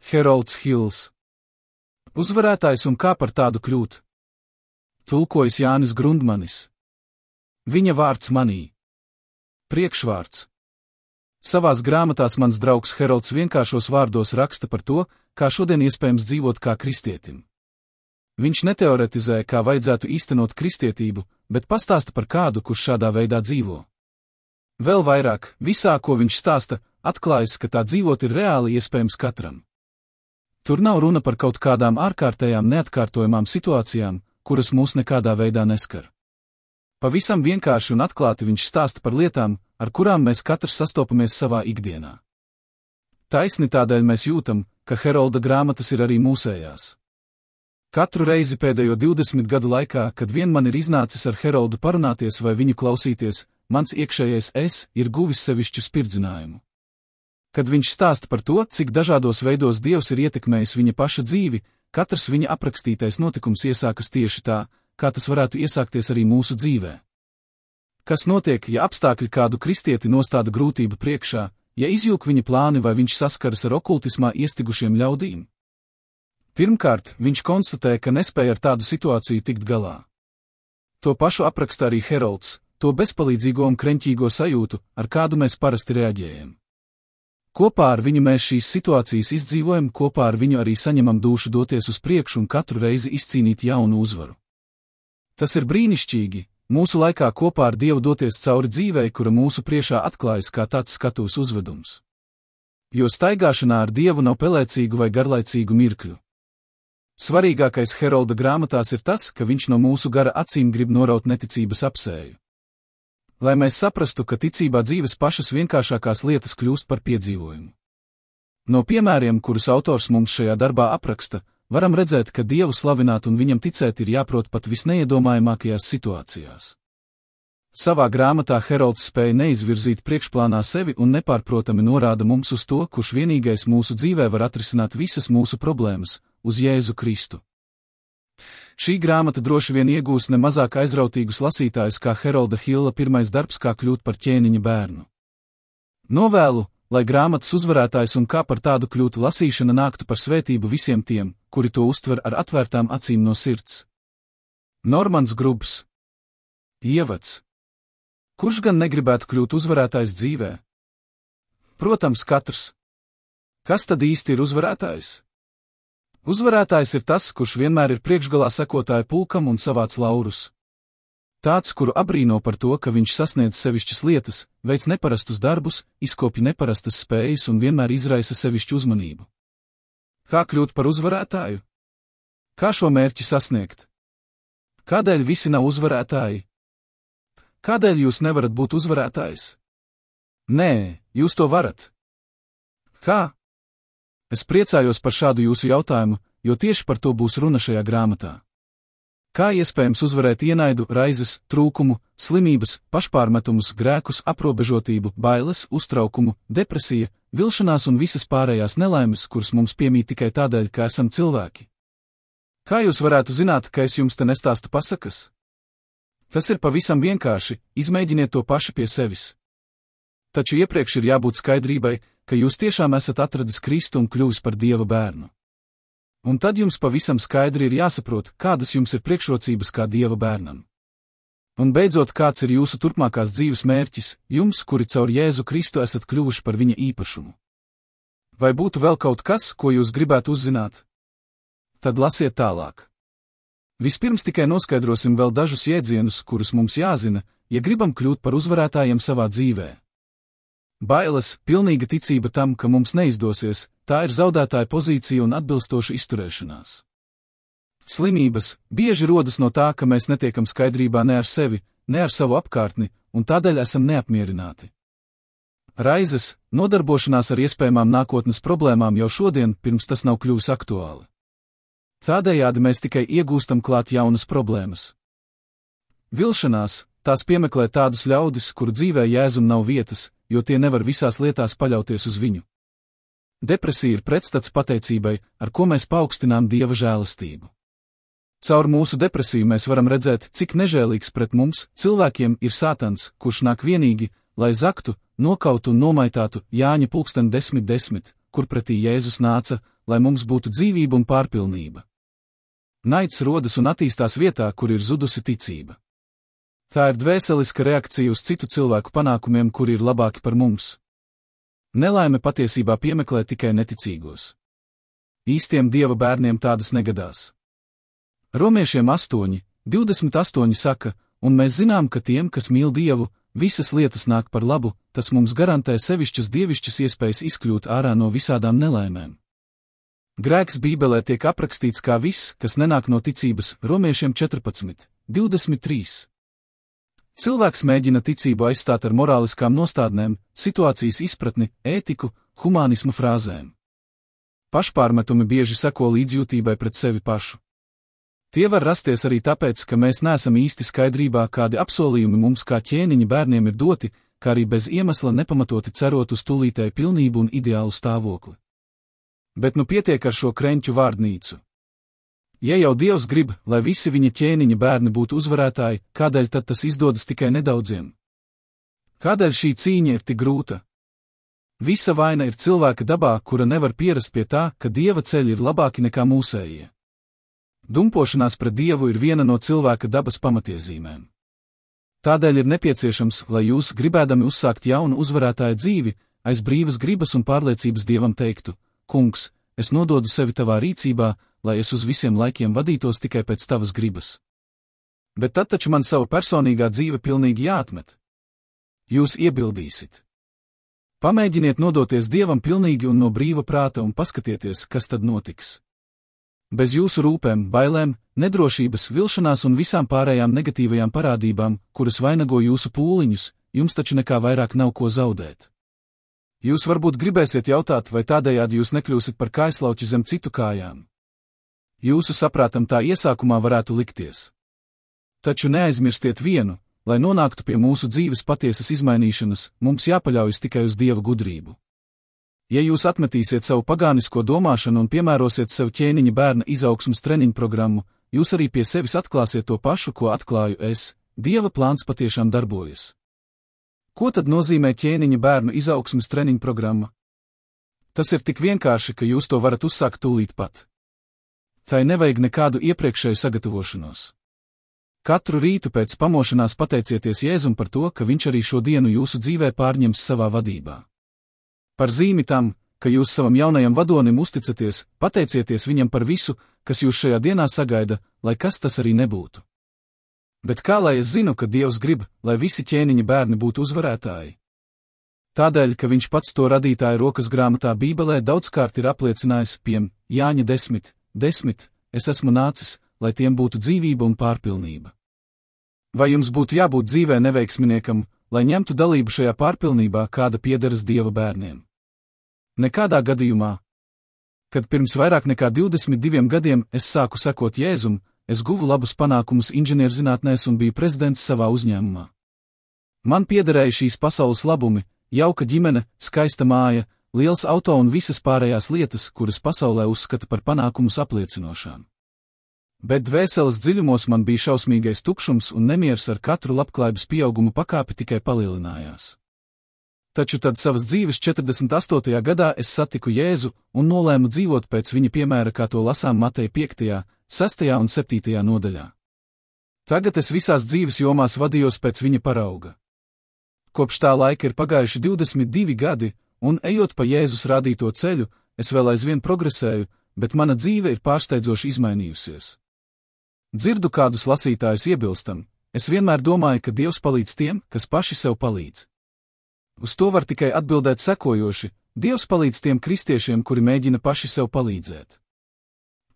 Herolds Hills. Uzvarētājs un kā par tādu kļūt. Tulkojis Jānis Grundmanis. Viņa vārds manī. Priekšvārds. Savās grāmatās mans draugs Herolds vienkāršos vārdos raksta par to, kā šodien iespējams dzīvot kā kristietim. Viņš neteoretizē, kā vajadzētu īstenot kristietību, bet pastāsta par kādu, kurš šādā veidā dzīvo. Vēl vairāk, visā, ko viņš stāsta, atklājas, ka tā dzīvot ir reāli iespējams katram. Tur nav runa par kaut kādām ārkārtējām neatkārtojamām situācijām, kuras mūs nekādā veidā neskar. Pavisam vienkārši un atklāti viņš stāsta par lietām, ar kurām mēs katrs sastopamies savā ikdienā. Taisni tādēļ mēs jūtam, ka Herolda grāmatas ir arī mūsējās. Katru reizi pēdējo 20 gadu laikā, kad vien man ir iznācis ar Heroldu parunāties vai viņu klausīties, mans iekšējais es ir guvis sevišķu spirdzinājumu. Kad viņš stāsta par to, cik dažādos veidos Dievs ir ietekmējis viņa paša dzīvi, katrs viņa aprakstītais notikums iesākas tieši tā, kā tas varētu iesākties arī mūsu dzīvē. Kas notiek, ja apstākļi kādu kristieti nostāda grūtību priekšā, ja izjūg viņa plāni vai viņš saskaras ar okultismā iestigušiem ļaudīm? Pirmkārt, viņš konstatē, ka nespēja ar tādu situāciju tikt galā. To pašu apraksta arī Herolds, to bezpalīdzīgo un kreņķīgo sajūtu, ar kādu mēs parasti reaģējam. Kopā ar viņu mēs šīs situācijas izdzīvojam, kopā ar viņu arī saņemam dūšu doties uz priekšu un katru reizi izcīnīt jaunu uzvaru. Tas ir brīnišķīgi, mūsu laikā kopā ar Dievu doties cauri dzīvei, kura mūsu priekšā atklājas kā tāds skatuves uzvedums. Jo staigāšanā ar Dievu nav pelēcīgu vai garlaicīgu mirkļu. Svarīgākais Herolda grāmatās ir tas, ka viņš no mūsu gara acīm grib noraut neticības apsēju. Lai mēs saprastu, ka ticībā dzīves pašas vienkāršākās lietas kļūst par piedzīvojumu. No piemēriem, kurus autors mums šajā darbā apraksta, varam redzēt, ka Dievu slavināt un viņam ticēt ir jāprot pat visneiedomājamākajās situācijās. Savā grāmatā Herolds spēja neizvirzīt priekšplānā sevi un nepārprotami norāda mums uz to, kurš vienīgais mūsu dzīvē var atrisināt visas mūsu problēmas, uz Jēzu Kristu. Šī grāmata droši vien iegūs ne mazāk aizrautīgus lasītājus kā Herolda Hilla pirmais darbs Kā kļūt par ķēniņa bērnu. Novēlu, lai grāmatas uzvarētājs un Kā par tādu kļūt lasīšana nāktu par svētību visiem tiem, kuri to uztver ar atvērtām acīm no sirds. Normans Grubs. Ievads. Kurš gan negribētu kļūt uzvarētājs dzīvē? Protams, katrs. Kas tad īsti ir uzvarētājs? Uzvarētājs ir tas, kurš vienmēr ir priekšgalā sekotāju pulkam un savāc laurus. Tāds, kuru abrīno par to, ka viņš sasniedz sevišķas lietas, veic neparastus darbus, izkopja neparastas spējas un vienmēr izraisa sevišķu uzmanību. Kā kļūt par uzvarētāju? Kā šo mērķi sasniegt? Kādēļ visi nav uzvarētāji? Kādēļ jūs nevarat būt uzvarētājs? Nē, jūs to varat. Kā? Es priecājos par šādu jūsu jautājumu, jo tieši par to būs runa šajā grāmatā. Kā iespējams uzvarēt ienaidu, raizes, trūkumu, slimības, pašpārmetumus, grēkus, aprobežotību, bailes, uztraukumu, depresiju, vilšanās un visas pārējās nelaimes, kuras mums piemīt tikai tādēļ, ka esam cilvēki? Kā jūs varētu zināt, ka es jums te nestāstu pasakas? Tas ir pavisam vienkārši, izmēģiniet to paši pie sevis. Taču iepriekš ir jābūt skaidrībai, ka jūs tiešām esat atradis Kristu un kļuvis par Dieva bērnu. Un tad jums pavisam skaidri ir jāsaprot, kādas jums ir priekšrocības kā Dieva bērnam. Un beidzot, kāds ir jūsu turpmākās dzīves mērķis, jums, kuri caur Jēzu Kristu esat kļuvuši par viņa īpašumu. Vai būtu vēl kaut kas, ko jūs gribētu uzzināt? Tad lasiet tālāk. Vispirms tikai noskaidrosim vēl dažus jēdzienus, kurus mums jāzina, ja gribam kļūt par uzvarētājiem savā dzīvē. Bailes, pilnīga ticība tam, ka mums neizdosies, tā ir zaudētāja pozīcija un atbilstoša izturēšanās. Slimības bieži rodas no tā, ka mēs netiekam skaidrībā ne ar sevi, ne ar savu apkārtni, un tādēļ esam neapmierināti. Raizes, nodarbošanās ar iespējamām nākotnes problēmām jau šodien, pirms tas nav kļuvis aktuāli. Tādējādi mēs tikai iegūstam klāt jaunas problēmas. Vilšanās, tās piemeklē tādus ļaudis, kuru dzīvē Jēzum nav vietas, jo tie nevar visās lietās paļauties uz viņu. Depresija ir pretstats pateicībai, ar ko mēs paaugstinām Dieva žēlastību. Caur mūsu depresiju mēs varam redzēt, cik nežēlīgs pret mums, cilvēkiem, ir Sātans, kurš nāk vienīgi, lai zaktu, nokautu un nomaitātu Jāņa 10:10, kur pretī Jēzus nāca, lai mums būtu dzīvība un pārpilnība. Naids rodas un attīstās vietā, kur ir zudusi ticība. Tā ir dvēseliska reakcija uz citu cilvēku panākumiem, kuri ir labāki par mums. Nelaime patiesībā piemeklē tikai neticīgos. Īstiem Dieva bērniem tādas negadās. Romiešiem 8:28 saka, un mēs zinām, ka tiem, kas mīl Dievu, visas lietas nāk par labu, tas mums garantē sevišķas dievišķas iespējas izkļūt ārā no visādām nelaimēm. Grēks Bībelē tiek aprakstīts kā viss, kas nenāk no ticības, Romiešiem 14:23. Cilvēks mēģina ticību aizstāt ar morāliskām nostādnēm, situācijas izpratni, ētiku, humānismu frāzēm. Pašpārmetumi bieži seko līdzjūtībai pret sevi pašu. Tie var rasties arī tāpēc, ka mēs neesam īsti skaidrībā, kādi apsolījumi mums kā ķēniņa bērniem ir doti, kā arī bez iemesla nepamatoti cerot uz tūlītēju pilnību un ideālu stāvokli. Bet nu pietiek ar šo krenķu vārdnīcu. Ja jau Dievs grib, lai visi viņa ķēniņa bērni būtu uzvarētāji, kādēļ tad tas izdodas tikai nedaudziem? Kādēļ šī cīņa ir tik grūta? Visa vaina ir cilvēka dabā, kura nevar pierast pie tā, ka Dieva ceļi ir labāki nekā mūsējie. Dumpošanās pret Dievu ir viena no cilvēka dabas pamatiezīmēm. Tādēļ ir nepieciešams, lai jūs, gribēdami uzsākt jaunu uzvarētāja dzīvi, aiz brīvas gribas un pārliecības Dievam teiktu: Kungs, es nododu sevi tavā rīcībā, lai es uz visiem laikiem vadītos tikai pēc tavas gribas. Bet tad taču man sava personīgā dzīve pilnīgi jāatmet. Jūs iebildīsit. Pamēģiniet nodoties Dievam pilnīgi un no brīva prāta un paskatieties, kas tad notiks. Bez jūsu rūpēm, bailēm, nedrošības, vilšanās un visām pārējām negatīvajām parādībām, kuras vainago jūsu pūliņus, jums taču nekā vairāk nav ko zaudēt. Jūs varbūt gribēsiet jautāt, vai tādējādi jūs nekļūsit par kājslauķi zem citu kājām. Jūsu saprātam tā iesākumā varētu likties. Taču neaizmirstiet vienu, lai nonāktu pie mūsu dzīves patiesas izmainīšanas, mums jāpaļaujas tikai uz Dieva gudrību. Ja jūs atmetīsiet savu pagānisko domāšanu un piemērosiet sev ķēniņa bērna izaugsmes treniņu programmu, jūs arī pie sevis atklāsiet to pašu, ko atklāju es. Dieva plāns patiešām darbojas. Ko tad nozīmē ķēniņa bērnu izaugsmes treniņu programma? Tas ir tik vienkārši, ka jūs to varat uzsākt tūlīt pat. Tai nevajag nekādu iepriekšēju sagatavošanos. Katru rītu pēc pamošanās pateicieties Jēzum par to, ka viņš arī šo dienu jūsu dzīvē pārņems savā vadībā. Par zīmi tam, ka jūs savam jaunajam vadonim uzticaties, pateicieties viņam par visu, kas jūs šajā dienā sagaida, lai kas tas arī nebūtu. Bet kā lai es zinu, ka Dievs grib, lai visi ķēniņa bērni būtu uzvarētāji? Tādēļ, ka viņš pats to radītāja rokas grāmatā Bībelē daudzkārt ir apliecinājis, piemēram, Jāņa 10:10, es esmu nācis, lai tiem būtu dzīvība un pārpilnība. Vai jums būtu jābūt dzīvē neveiksminiekam, lai ņemtu dalību šajā pārpilnībā, kāda piederas Dieva bērniem? Nekādā gadījumā. Kad pirms vairāk nekā 22 gadiem es sāku sekot Jēzum, es guvu labus panākumus inženierzinātnēs un biju prezidents savā uzņēmumā. Man piederēja šīs pasaules labumi, jauka ģimene, skaista māja, liels auto un visas pārējās lietas, kuras pasaulē uzskata par panākumus apliecinošām. Bet dvēseles dziļumos man bija šausmīgais tukšums un nemieris ar katru labklājības pieaugumu pakāpi tikai palielinājās. Taču tad savas dzīves 48. gadā es satiku Jēzu un nolēmu dzīvot pēc viņa piemēra, kā to lasām Mateja 5., 6. un 7. nodaļā. Tagad es visās dzīves jomās vadījos pēc viņa parauga. Kopš tā laika ir pagājuši 22 gadi, un ejot pa Jēzus rādīto ceļu, es vēl aizvien progresēju, bet mana dzīve ir pārsteidzoši izmainījusies. Dzirdu kādus lasītājus iebilstam, es vienmēr domāju, ka Dievs palīdz tiem, kas paši sev palīdz. Uz to var tikai atbildēt sekojoši: Dievs palīdz tiem kristiešiem, kuri mēģina paši sev palīdzēt.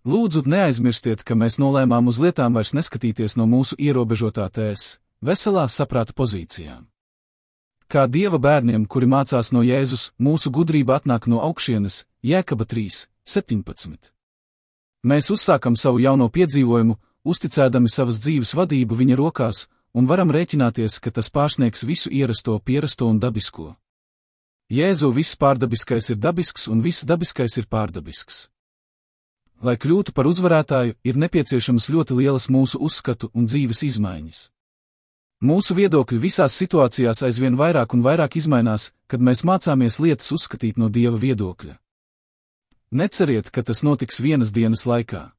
Lūdzu, neaizmirstiet, ka mēs nolēmām uz lietām vairs neskatīties no mūsu ierobežotā tēs, veselā saprāta pozīcijām. Kā Dieva bērniem, kuri mācās no Jēzus, mūsu gudrība atnāk no augšienes, Jēkaba 3:17. Mēs uzsākam savu jauno piedzīvojumu, uzticēdami savas dzīves vadību viņa rokās, un varam rēķināties, ka tas pārsniegs visu ierasto, pierasto un dabisko. Jēzu viss pārdabiskais ir dabisks un viss dabiskais ir pārdabisks. Lai kļūtu par uzvarētāju, ir nepieciešams ļoti lielas mūsu uzskatu un dzīves izmaiņas. Mūsu viedokļi visās situācijās aizvien vairāk un vairāk izmainās, kad mēs mācāmies lietas uzskatīt no Dieva viedokļa. Neceriet, ka tas notiks vienas dienas laikā.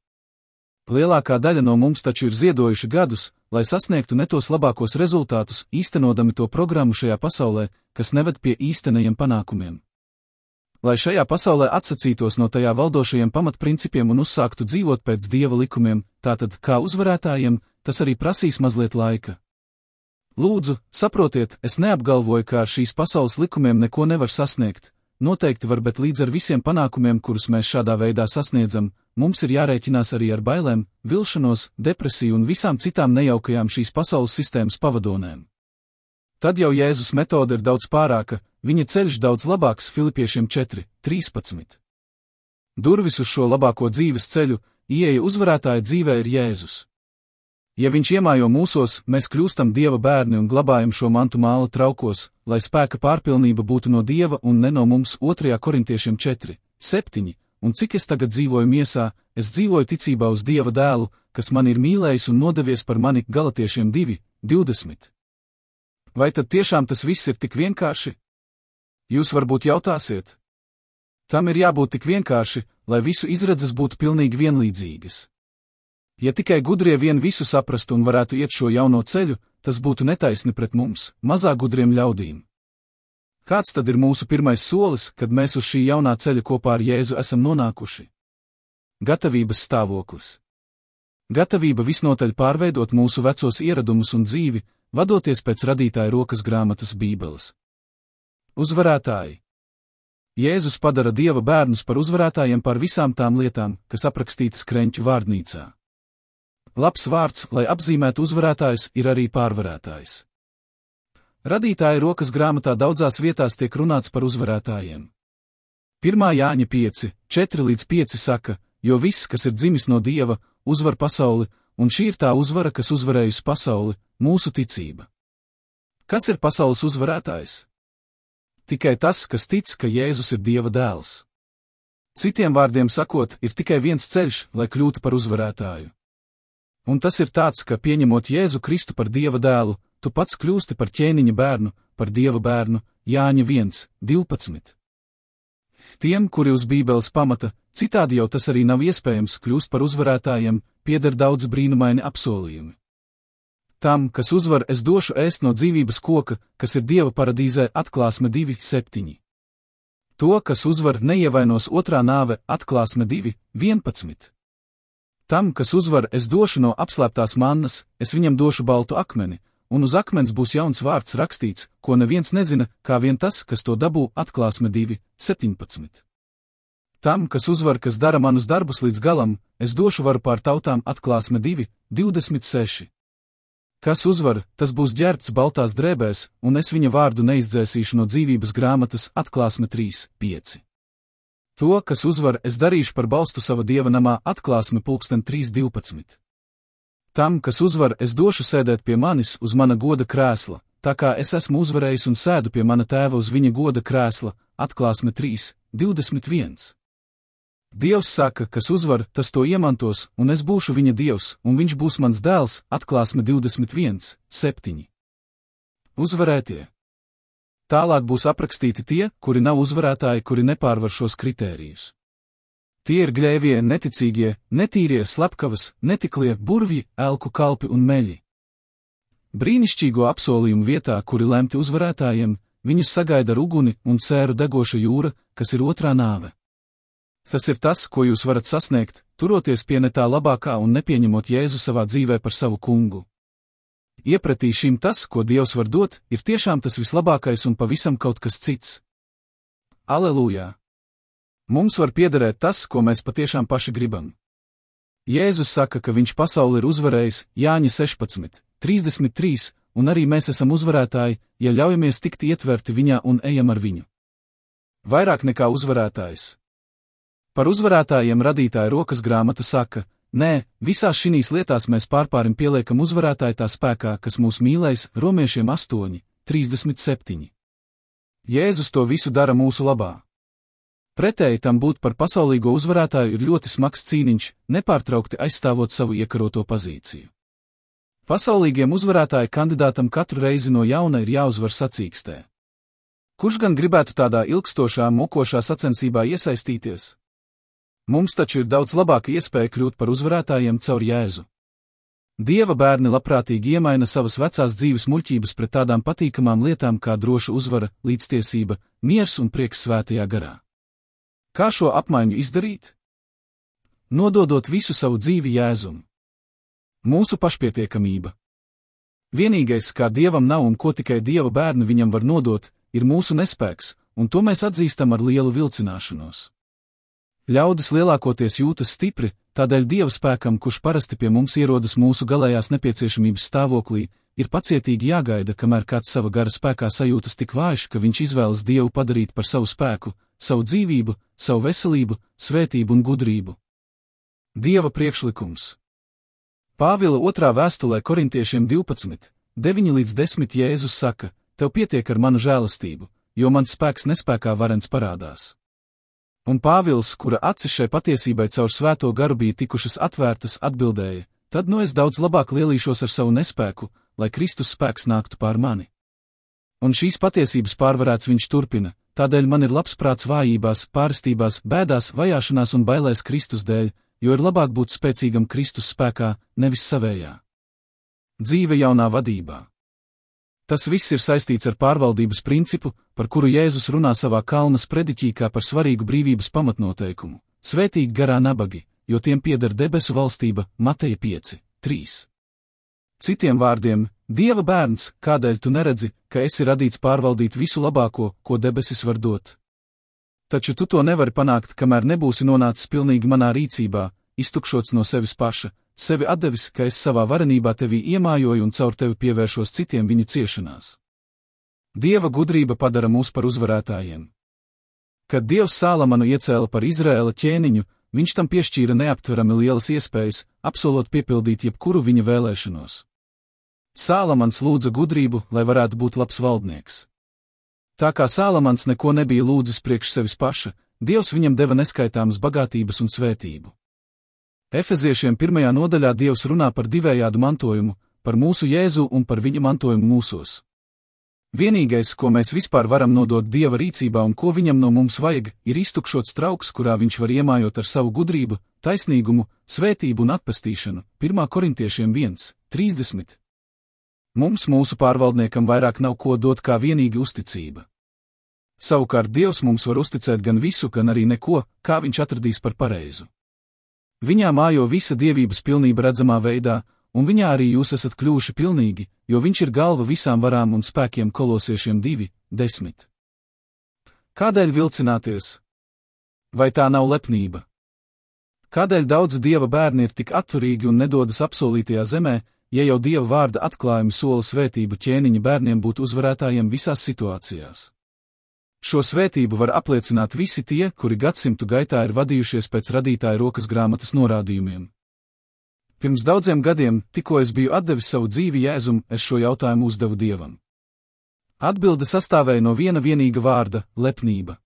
Lielākā daļa no mums taču ir ziedojuši gadus, lai sasniegtu ne tos labākos rezultātus, īstenodami to programmu šajā pasaulē, kas neved pie īstenajiem panākumiem. Lai šajā pasaulē atsacītos no tajā valdošajiem pamatprincipiem un uzsāktu dzīvot pēc Dieva likumiem, tātad, kā uzvarētājiem, tas arī prasīs mazliet laika. Lūdzu, saprotiet, es neapgalvoju, ka ar šīs pasaules likumiem neko nevar sasniegt. Noteikti var, bet līdz ar visiem panākumiem, kurus mēs šādā veidā sasniedzam, mums ir jārēķinās arī ar bailēm, vilšanos, depresiju un visām citām nejaukajām šīs pasaules sistēmas pavadonēm. Tad jau Jēzus metode ir daudz pārāka, viņa ceļš daudz labāks. Filipiešiem 4:13. Durvis uz šo labāko dzīves ceļu, ieeja uzvarētāja dzīvē ir Jēzus. Ja viņš iemājo mūsos, mēs kļūstam Dieva bērni un glabājam šo mantu māla traukos, lai spēka pārpilnība būtu no Dieva un ne no mums. 2. Korintiešiem 4:7. Un cik es tagad dzīvoju miesā, es dzīvoju ticībā uz Dieva dēlu, kas man ir mīlējis un nodevies par mani. Galatiešiem 2:20. Vai tad tiešām tas viss ir tik vienkārši? Jūs varbūt jautāsiet. Tam ir jābūt tik vienkārši, lai visu izredzes būtu pilnīgi vienlīdzīgas. Ja tikai gudrie vien visu saprastu un varētu iet šo jauno ceļu, tas būtu netaisni pret mums, mazāk gudriem ļaudīm. Kāds tad ir mūsu pirmais solis, kad mēs uz šī jaunā ceļa kopā ar Jēzu esam nonākuši? Gatavības stāvoklis. Gatavība visnotaļ pārveidot mūsu vecos ieradumus un dzīvi, vadoties pēc radītāja rokas grāmatas Bībeles. Uzvarētāji. Jēzus padara Dieva bērnus par uzvarētājiem par visām tām lietām, kas aprakstītas Kreņķu vārdnīcā. Labs vārds, lai apzīmētu uzvarētājus, ir arī pārvarētājs. Radītāja rokas grāmatā daudzās vietās tiek runāts par uzvarētājiem. 1. Jāņa 5:4-5 saka, jo viss, kas ir dzimis no Dieva, uzvar pasauli, un šī ir tā uzvara, kas uzvarējusi pasauli, mūsu ticība. Kas ir pasaules uzvarētājs? Tikai tas, kas tic, ka Jēzus ir Dieva dēls. Citiem vārdiem sakot, ir tikai viens ceļš, lai kļūtu par uzvarētāju. Un tas ir tāds, ka pieņemot Jēzu Kristu par Dieva dēlu, tu pats kļūsti par ķēniņa bērnu, par Dieva bērnu. Jāņa 1:12. Tiem, kuri uz Bībeles pamata, citādi jau tas arī nav iespējams, kļūst par uzvarētājiem, pieder daudz brīnumaini apsolījumi. Tam, kas uzvar, es došu ēst no dzīvības koka, kas ir Dieva paradīzē. Atklāsme 2:7. To, kas uzvar, neievainos otrā nāve. Atklāsme 2:11. Tam, kas uzvar, es došu no apslēptās mannas, es viņam došu baltu akmeni, un uz akmens būs jauns vārds rakstīts, ko neviens nezina, kā vien tas, kas to dabū. Atklāsme 2:17. Tam, kas uzvar, kas dara manus darbus līdz galam, es došu varu pār tautām. Atklāsme 2:26. Kas uzvar, tas būs ģērbts baltās drēbēs, un es viņa vārdu neizdzēsīšu no dzīvības grāmatas. Atklāsme 3:5. To, kas uzvar, es darīšu par balstu sava Dieva namā. Atklāsme 3:12. Tam, kas uzvar, es došu sēdēt pie manis uz mana goda krēsla, tā kā es esmu uzvarējis un sēdu pie mana tēva uz viņa goda krēsla. Atklāsme 3:21. Dievs saka, kas uzvar, tas to iemantos, un es būšu viņa Dievs, un viņš būs mans dēls. Atklāsme 21:7. Uzvarētie. Tālāk būs aprakstīti tie, kuri nav uzvarētāji, kuri nepārvar šos kritērijus. Tie ir gļēvie, neticīgie, netīrie, slepkavas, netiklie, burvji, elku kalpi un meļi. Brīnišķīgo apsolījumu vietā, kuri lemti uzvarētājiem, viņus sagaida ar uguni un sēru degoša jūra, kas ir otrā nāve. Tas ir tas, ko jūs varat sasniegt, turoties pie ne tā labākā un nepieņemot Jēzu savā dzīvē par savu kungu. Iepratī šim tas, ko Dievs var dot, ir tiešām tas vislabākais un pavisam kaut kas cits. Alelujā! Mums var piederēt tas, ko mēs patiešām paši gribam. Jēzus saka, ka viņš pasauli ir uzvarējis. Jāņa 16:33, un arī mēs esam uzvarētāji, ja ļaujamies tikt ietverti viņā un ejam ar viņu. Vairāk nekā uzvarētājs. Par uzvarētājiem radītāja rokas grāmata saka, nē, visās šinīs lietās mēs pārpārim pieliekam uzvarētāju tā spēkā, kas mūs mīlēs. Romiešiem 8:37. Jēzus to visu dara mūsu labā. Pretēji tam būt par pasaulīgo uzvarētāju ir ļoti smags cīniņš, nepārtraukti aizstāvot savu iekaroto pozīciju. Pasaulīgiem uzvarētāju kandidātam katru reizi no jauna ir jāuzvar sacīkstē. Kurš gan gribētu tādā ilgstošā, mokošā sacensībā iesaistīties? Mums taču ir daudz labāka iespēja kļūt par uzvarētājiem caur Jēzu. Dieva bērni labprātīgi iemaina savas vecās dzīves muļķības pret tādām patīkamām lietām kā droša uzvara, līdztiesība, miers un prieks svētajā garā. Kā šo apmaiņu izdarīt? Nododot visu savu dzīvi Jēzum. Mūsu pašpietiekamība. Vienīgais, kā Dievam nav un ko tikai Dieva bērni viņam var nodot, ir mūsu nespēks, un to mēs atzīstam ar lielu vilcināšanos. Ļaudis lielākoties jūtas stipri, tādēļ Dieva spēkam, kurš parasti pie mums ierodas mūsu galējās nepieciešamības stāvoklī, ir pacietīgi jāgaida, kamēr kāds sava gara spēkā sajūtas tik vājš, ka viņš izvēlas Dievu padarīt par savu spēku, savu dzīvību, savu veselību, svētību un gudrību. Dieva priekšlikums. Pāvila 2. vēstulē Korintiešiem 12, 9-10 Jēzus saka: tev pietiek ar manu žēlastību, jo mans spēks nespēkā varens parādās. Un Pāvils, kura acis šai patiesībai caur svēto garu bija tikušas atvērtas, atbildēja: tad nu es daudz labāk lielīšos ar savu nespēku, lai Kristus spēks nāktu pār mani. Un šīs patiesības pārvarēts viņš turpina: tādēļ man ir labs prāts vājībās, pārstībās, bēdās, vajāšanās un bailēs Kristus dēļ, jo ir labāk būt spēcīgam Kristus spēkā, nevis savējā. Dzīve jaunā vadībā. Tas viss ir saistīts ar pārvaldības principu, par kuru Jēzus runā savā kalnas prediķī kā par svarīgu brīvības pamatnoteikumu. Svētīgi garā nabagi, jo tiem pieder debesu valstība, Mateja 5, 3. Citiem vārdiem, Dieva bērns, kādēļ tu neredzi, ka esi radīts pārvaldīt visu labāko, ko debesis var dot? Taču tu to nevari panākt, kamēr nebūsi nonācis pilnīgi manā rīcībā, iztukšots no sevis paša, sevi atdevis, ka es savā varenībā tevī iemājoju un caur tevi pievēršos citiem viņu ciešanās. Dieva gudrība padara mūs par uzvarētājiem. Kad Dievs Sālamanu iecēla par Izraēla ķēniņu, viņš tam piešķīra neaptverami lielas iespējas, apsolot piepildīt jebkuru viņa vēlēšanos. Sālamans lūdza gudrību, lai varētu būt labs valdnieks. Tā kā Sālamans neko nebija lūdzis priekš sevis paša, Dievs viņam deva neskaitāmas bagātības un svētību. Efeziešiem 1. nodaļā Dievs runā par divējādu mantojumu, par mūsu Jēzu un par viņa mantojumu mūsos. Vienīgais, ko mēs vispār varam nodot Dieva rīcībā un ko viņam no mums vajag, ir iztukšots trauks, kurā viņš var iemājot ar savu gudrību, taisnīgumu, svētību un atpestīšanu. 1. Korintiešiem 1, 30. Mums mūsu pārvaldniekam vairāk nav ko dot kā vienīgi uzticība. Savukārt Dievs mums var uzticēt gan visu, gan arī neko, kā viņš atradīs par pareizu. Viņā mājo visa dievības pilnība redzamā veidā, un viņā arī jūs esat kļuvuši pilnīgi, jo viņš ir galva visām varām un spēkiem. Kolosiešiem 2, 10. Kādēļ vilcināties? Vai tā nav lepnība? Kādēļ daudzi Dieva bērni ir tik atturīgi un nedodas apsolītajā zemē, ja jau Dieva vārda atklājumi sola svētību ķēniņa bērniem būt uzvarētājiem visās situācijās? Šo svētību var apliecināt visi tie, kuri gadsimtu gaitā ir vadījušies pēc radītāja rokas grāmatas norādījumiem. Pirms daudziem gadiem, tikko es biju atdevis savu dzīvi Jēzum, es šo jautājumu uzdevu Dievam. Atbilde sastāvēja no viena vienīga vārda – lepnība.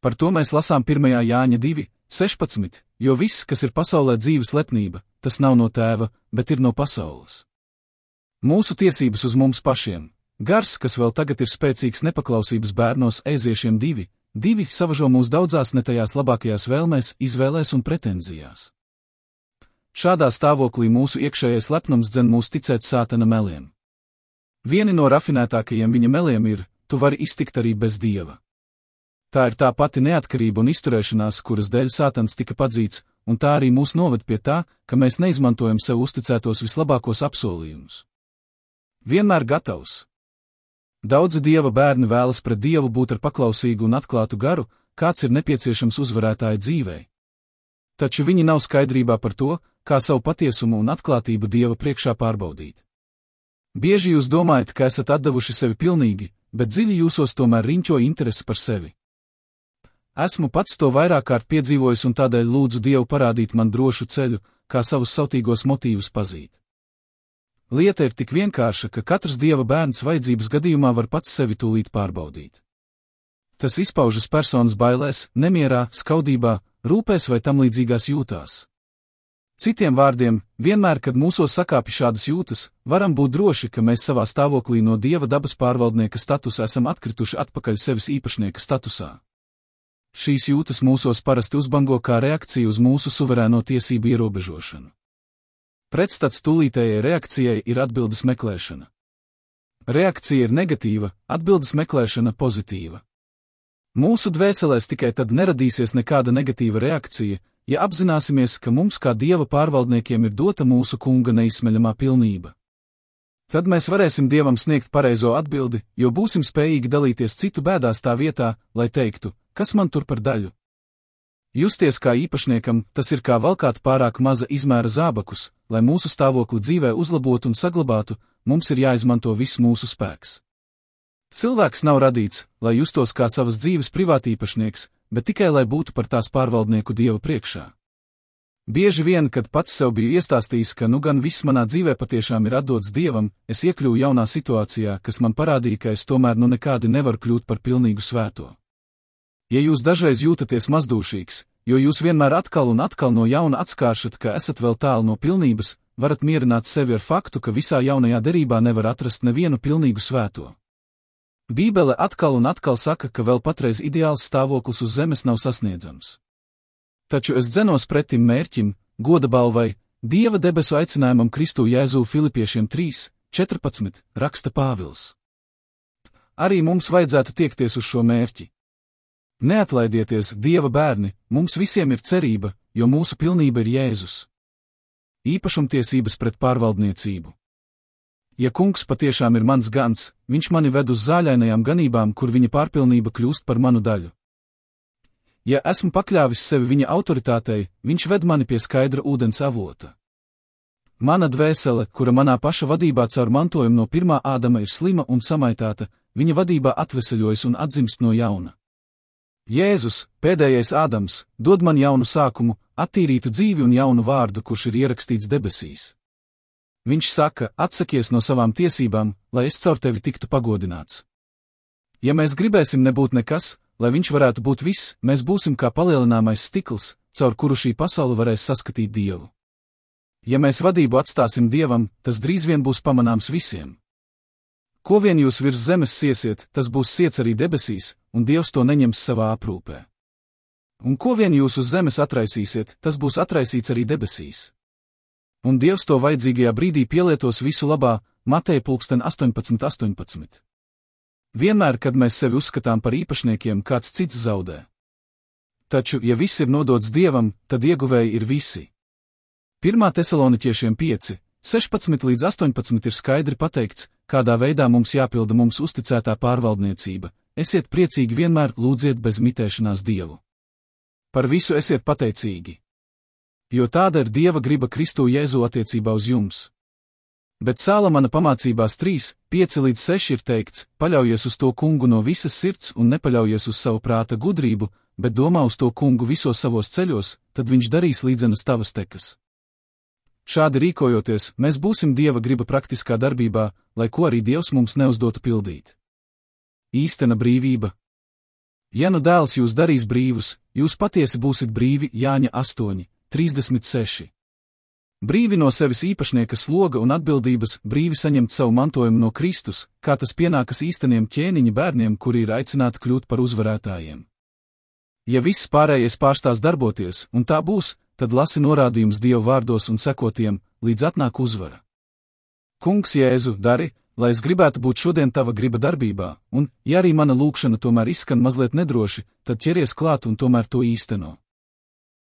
Par to mēs lasām 1. Jāņa 2, 16, jo viss, kas ir pasaulē dzīves lepnība, tas nav no tēva, bet ir no pasaules. Mūsu tiesības uz mums pašiem. Gars, kas vēl tagad ir spēcīgs nepaklausības bērnos, Eziešiem 2, 2 savažo mūs daudzās ne tajās labākajās vēlmēs, izvēlēs un pretenzijās. Šādā stāvoklī mūsu iekšējais lepnums dzen mūs ticēt Sātana meliem. Vieni no rafinētākajiem viņa meliem ir: tu vari iztikt arī bez Dieva. Tā ir tā pati neatkarība un izturēšanās, kuras dēļ Sātans tika padzīts, un tā arī mūs noved pie tā, ka mēs neizmantojam sev uzticētos vislabākos apsolījumus. Vienmēr gatavs. Daudzi Dieva bērni vēlas pret Dievu būt ar paklausīgu un atklātu garu, kāds ir nepieciešams uzvarētāja dzīvei. Taču viņi nav skaidrībā par to, kā savu patiesumu un atklātību Dieva priekšā pārbaudīt. Bieži jūs domājat, ka esat atdevuši sevi pilnīgi, bet dziļi jūsos tomēr riņķo interesi par sevi. Esmu pats to vairāk kārt piedzīvojis un tādēļ lūdzu Dievu parādīt man drošu ceļu, kā savus sautīgos motīvus pazīt. Lieta ir tik vienkārša, ka katrs Dieva bērns vajadzības gadījumā var pats sevi tūlīt pārbaudīt. Tas izpaužas personas bailēs, nemierā, skaudībā, rūpēs vai tam līdzīgās jūtās. Citiem vārdiem, vienmēr, kad mūsos sakāpj šādas jūtas, varam būt droši, ka mēs savā stāvoklī no Dieva dabas pārvaldnieka statusa esam atkrituši atpakaļ sevis īpašnieka statusā. Šīs jūtas mūsos parasti uzbango kā reakcija uz mūsu suverēno tiesību ierobežošanu. Pretstats tūlītējai reakcijai ir atbildes meklēšana. Reakcija ir negatīva, atbildes meklēšana pozitīva. Mūsu dvēselēs tikai tad neradīsies nekāda negatīva reakcija, ja apzināsimies, ka mums kā Dieva pārvaldniekiem ir dota mūsu Kunga neizsmeļamā pilnība. Tad mēs varēsim Dievam sniegt pareizo atbildi, jo būsim spējīgi dalīties citu bēdās tā vietā, lai teiktu, kas man tur par daļu. Justies kā īpašniekam, tas ir kā valkāt pārāk maza izmēra zābakus, lai mūsu stāvokli dzīvē uzlabotu un saglabātu, mums ir jāizmanto viss mūsu spēks. Cilvēks nav radīts, lai justos kā savas dzīves privātīpašnieks, bet tikai lai būtu par tās pārvaldnieku Dieva priekšā. Bieži vien, kad pats sev biju iestāstījis, ka nu gan viss manā dzīvē patiešām ir atdots Dievam, es iekļuvu jaunā situācijā, kas man parādīja, ka es tomēr nu nekādi nevaru kļūt par pilnīgu svēto. Ja jūs dažreiz jūtaties mazdūšīgs, jo jūs vienmēr atkal un atkal no jauna atskāršat, ka esat vēl tālu no pilnības, varat mierināt sevi ar faktu, ka visā jaunajā derībā nevar atrast nevienu pilnīgu svēto. Bībele atkal un atkal saka, ka vēl patreiz ideāls stāvoklis uz zemes nav sasniedzams. Taču es dzenos pretim mērķim, goda balvai, Dieva debesu aicinājumam Kristu Jēzu Filipiešiem 3:14, raksta Pāvils. Arī mums vajadzētu tiekties uz šo mērķi. Neatlaidieties, Dieva bērni, mums visiem ir cerība, jo mūsu pilnība ir Jēzus. Īpašumtiesības pret pārvaldniecību. Ja Kungs patiešām ir mans gans, viņš mani ved uz zāļainajām ganībām, kur viņa pārpilnība kļūst par manu daļu. Ja esmu pakļāvis sevi viņa autoritātei, viņš ved mani pie skaidra ūdens avota. Mana dvēsele, kura manā paša vadībā caur mantojumu no pirmā Ādama ir slima un samaitāta, viņa vadībā atveseļojas un atzimst no jauna. Jēzus, pēdējais Ādams, dod man jaunu sākumu, attīrītu dzīvi un jaunu vārdu, kurš ir ierakstīts debesīs. Viņš saka, atsakies no savām tiesībām, lai es caur tevi tiktu pagodināts. Ja mēs gribēsim nebūt nekas, lai viņš varētu būt viss, mēs būsim kā palielināmais stikls, caur kuru šī pasaule varēs saskatīt Dievu. Ja mēs vadību atstāsim Dievam, tas drīz vien būs pamanāms visiem. Ko vien jūs virs zemes siesiet, tas būs siets arī debesīs, un Dievs to neņems savā aprūpē. Un ko vien jūs uz zemes atraisīsiet, tas būs atraisīts arī debesīs. Un Dievs to vajadzīgajā brīdī pielietos visu labā, Mateja 18:18. Vienmēr, kad mēs sevi uzskatām par īpašniekiem, kāds cits zaudē. Taču, ja viss ir nodots Dievam, tad ieguvēji ir visi. 1. Tesaloniķiešiem 5:16-18 ir skaidri pateikts, kādā veidā mums jāpilda mums uzticētā pārvaldniecība. Esiet priecīgi vienmēr, lūdziet bez mitēšanās Dievu. Par visu esiet pateicīgi. Jo tāda ir Dieva griba Kristu Jēzu attiecībā uz jums. Bet Sālamana pamācībās 3:5-6 ir teikts, paļaujies uz to Kungu no visas sirds un nepaļaujies uz savu prāta gudrību, bet domā uz to Kungu visos savos ceļos, tad viņš darīs līdzenas tavas tekas. Šādi rīkojoties, mēs būsim Dieva griba praktiskā darbībā, lai ko arī Dievs mums neuzdotu pildīt. Īstena brīvība. Ja nu dēls jūs darīs brīvus, jūs patiesi būsit brīvi, Jāņa 8:36. Brīvi no sevis īpašnieka sloga un atbildības, brīvi saņemt savu mantojumu no Kristus, kā tas pienākas īsteniem ķēniņa bērniem, kuri ir aicināti kļūt par uzvarētājiem. Ja viss pārējais pārstās darboties, un tā būs, tad lasi norādījums Dieva vārdos un seko tiem, līdz atnāk uzvara. Kungs Jēzu, dari, lai es gribētu būt šodien tava griba darbībā, un, ja arī mana lūgšana tomēr izskan mazliet nedroši, tad ķeries klāt un tomēr to īsteno.